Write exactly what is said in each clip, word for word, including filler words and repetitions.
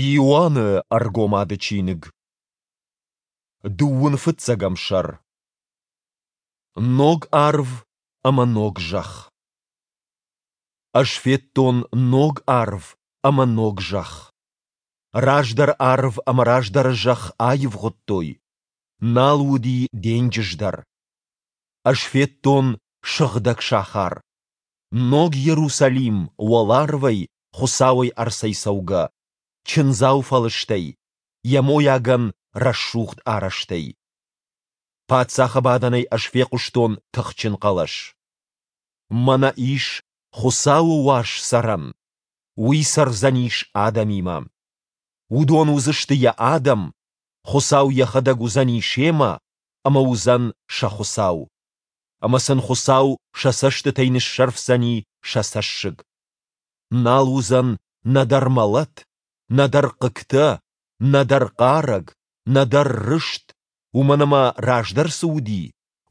Иоанны Ӕргомады чиныг. Дыууын фыццӕгӕм сӕр. Ног арв ӕмӕ ног зӕхх. Ӕз федтон ног арв ӕмӕ ног зӕхх. Раздӕр арв ӕмӕ раздӕры зӕхх аивгъуыдтой, нал уыди денджыз дӕр. Ӕз федтон сыгъдӕг сахар, Ног Иерусалим, уӕларвӕй Хуыцауӕй ӕрцӕйцӕугӕ, чындзау фӕлыстӕй, йӕ мойагӕн рӕсугъд арӕзтӕй. Паддзахы бадӕнӕй ӕз фехъуыстон тыхджын хъӕлӕс. Мӕнӕ ис Хуыцауы уаз цӕрӕн, Уый цӕрдзӕнис адӕмимӕ. Уыдон уыдзысты Йӕ адӕм, Хуыцау Йӕхӕдӕг уыдзӕни семӕ ӕмӕ уыдзӕн сӕ Хуыцау. Ӕмӕ сын Хуыцау сӕ цӕстытӕй ныссӕрфдзӕни сӕ цӕссыг. Нал уыдзӕн нӕдӕр мӕлӕт, нӕдӕр хъыгтӕ, нӕдӕр хъарӕг, нӕдӕр рыст, уымӕн ӕмӕ раздӕр цы уыди,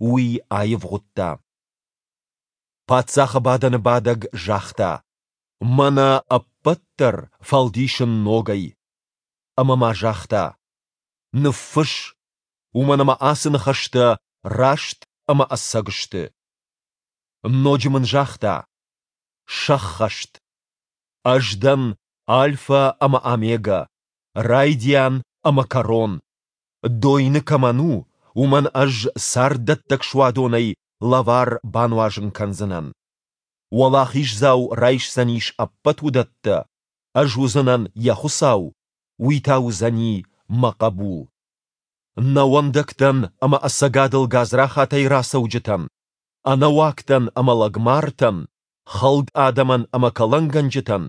уый аивгъуыдта. Паддзахы бадӕны бадӕг загъта: Мӕнӕ ӕппӕт дӕр фӕлдисын ногӕй. Ӕмӕ ма загъта: Ныффысс, уымӕн ӕмӕ ацы ныхӕстӕ раст ӕмӕ ӕцӕг сты. Ноджы мын загъта: Сӕххӕст! Ӕз дӕн Альфӕ ӕмӕ Омегӕ, райдиан ӕмӕ кӕрон. Дойны кӕмӕн у, уымӕн ӕз царддӕттӕг суадонӕй лӕвар бануазын кӕндзынӕн. Уӕлахиздзау райсдзӕнис ӕппӕт уыдӕттӕ, ӕз уыдзынӕн йӕ Хуыцау, уый та уыдзӕни мӕ хъӕбул. Нӕуӕндӕгтӕн ӕмӕ ӕцӕгадыл гадзрахатӕй рацӕуджытӕн, ӕнӕуагтӕн ӕмӕ лӕгмартӕн, хӕлд адӕмӕн ӕмӕ кӕлӕнгӕнджытӕн,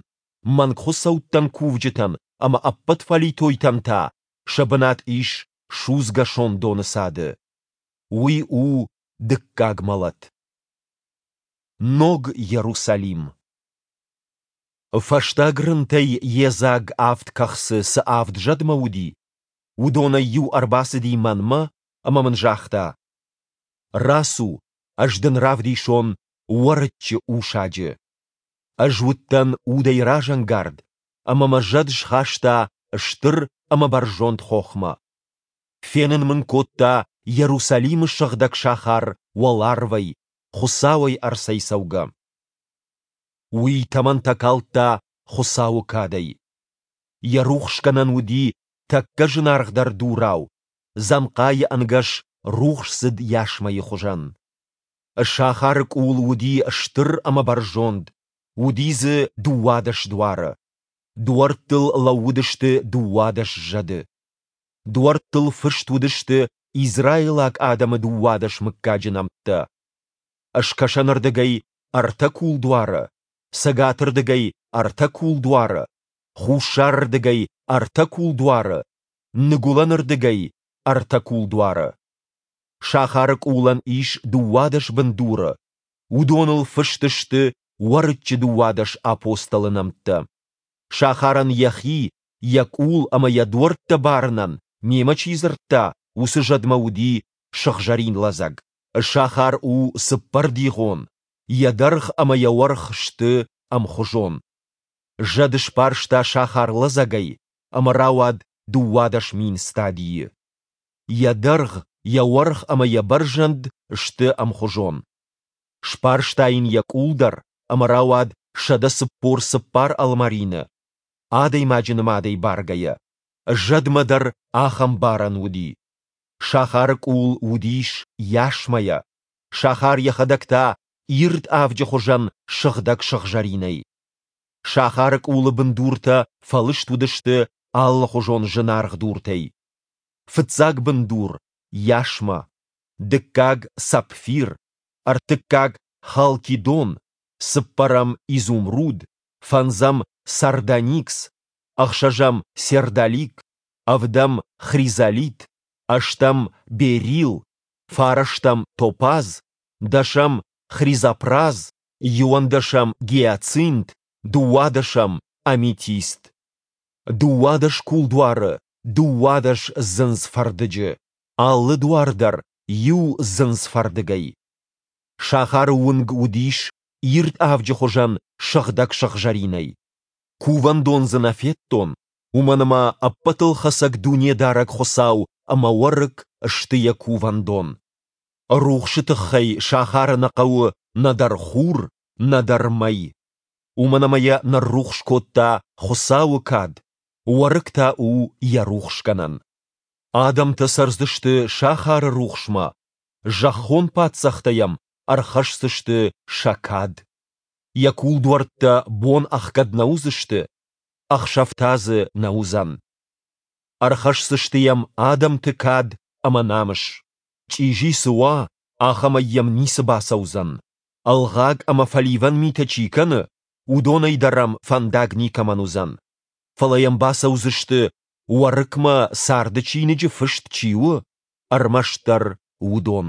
мӕнгхуыцӕуттӕн кувджытӕн ӕмӕ ӕппӕт фӕлитойтӕн та сӕ бынат ис судзгӕ сондоны цады. Уый у дыккаг мӕлӕт. Ног Иерусалим. Фӕстаг рынтӕй йедзаг авд кӕхцы цы авд зӕдмӕ уыди, уыдонӕй иу ӕрбацыди мӕнмӕ ӕмӕ мын загъта: Рацу, ӕз дын равдисон Уӕрыччы усаджы. Ӕз уыдтӕн удӕй разӕнгард, ӕмӕ мӕ зӕд схаста стыр ӕмӕ бӕрзонд хохмӕ. Фенын мын кодта Иерусалимы сыгъдӕг сахар уӕларвӕй, Хуыцауӕй ӕрцӕйцӕугӕ. Уый тӕмӕнтӕ калдта Хуыцауы кадӕй. Йӕ рухсгӕнӕн уыди тӕккӕ зынаргъдӕр дурау, дзӕнхъайы ӕнгӕс рухсдзыд ясмӕйы хуызӕн. Сахары къул уыди стыр ӕмӕ бӕрзонд, уыди дзы дыууадӕс дуары. Дуӕрттыл лӕууыдысты дыууадӕс зӕды. Дуӕрттыл фыст уыдысты израилаг адӕмы дыууадӕс мыггаджы нӕмттӕ. Скӕсӕнырдыгӕй ӕртӕ кулдуары, цӕгатырдыгӕй ӕртӕ кулдуары, хуссарырдыгӕй ӕртӕ кулдуары, ныгуылӕнырдыгӕй ӕртӕ кулдуары. Сахары къулӕн ис дыууадӕс бындуры, уыдоныл фыст сты Уӕрыччы дыууадӕс апостолы нӕмттӕ. Сахарӕн йӕхи, йӕ къул ӕмӕ йӕ дуӕрттӕ барынӕн, мемӕ чи дзырдта, уыцы зӕдмӕ уыди сыгъзӕрин лӕдзӕг. Сахар у цыппӕрдигъон, йӕ дӕргъ ӕмӕ йӕ уӕрх сты ӕмхуызон. Зӕд сбарста сахар лӕдзӕгӕй, ӕмӕ рауад дыууадӕс мин стадийы. Йӕ дӕргъ, йӕ уӕрх ӕмӕ йӕ бӕрзӕнд сты ӕмхуызон. Сбарста йын йӕ къул дӕр, ӕмӕ рауад сӕдӕ цыппор цыппар ӕлмӕрины, адӕймаджы нымадӕй баргӕйӕ. Зӕдмӕ дӕр ахӕм барӕн уыди. Сахары къул уыдис ясмӕйӕ, сахар йӕхӕдӕг та ирд авджы хуызӕн сыгъдӕг сыгъзӕринӕй. Сахары къулы бындуртӕ фӕлыст уыдысты алыхуызон зынаргъ дуртӕй. Фыццаг бындур – ясмӕ, дыккаг – сапфир, ӕртыккаг – халкидон, цыппӕрӕм – изумруд, фӕндзӕм – сардоникс, ӕхсӕзӕм – сердолик, ӕвдӕм – хризолит, ӕстӕм – берилл, фарӕстӕм – топаз, дӕсӕм – хризопраз, иуӕндӕсӕм – гиацинт, дыууадӕсӕм – аметист. Дыууадӕс кулдуары, дыууадӕс дзындз-фӕрдыджы, алы дуар дӕр иу дзындз-фӕрдыгӕй. Сахары уынг уыдис ирд авджы хуызӕн сыгъдӕг сыгъзӕринӕй. Кувӕндон дзы нӕ федтон, Уымӕн ӕмӕ Ӕппӕтылхӕцӕг Дунедарӕг Хуыцау ӕмӕ Уӕрыкк сты йӕ кувӕндон. Рухсы тыххӕй сахары нӕ хъӕуы нӕдӕр хур, нӕдӕр мӕй. Уымӕн ӕмӕ йӕ ныррухс кодта Хуыцауы кад, Уӕрыкк та у йӕ рухсгӕнӕн. Адӕмтӕ цӕрдзысты сахары рухсмӕ, зӕххон паддзӕхтӕ йӕм ӕрхӕсдзысты сӕ кад. Йӕ кулдуӕрттӕ бон ӕхгӕд нӕ уыдзысты, ӕхсӕв та дзы нӕ уыдзӕн. Ӕрхӕсдзысты йӕм адӕмты кад ӕмӕ намыс. Чъизи цы уа, ахӕмӕй йӕм ницы бацӕудзӕн. Ӕлгъаг ӕмӕ фӕливӕн митӕ чи кӕны, уыдонӕй дӕр ӕм фӕндаг никӕмӕн уыдзӕн. Фӕлӕ йӕм бацӕудзысты, Уӕрыкмӕ царды чиныджы фыст чи у, ӕрмӕстдӕр уыдон.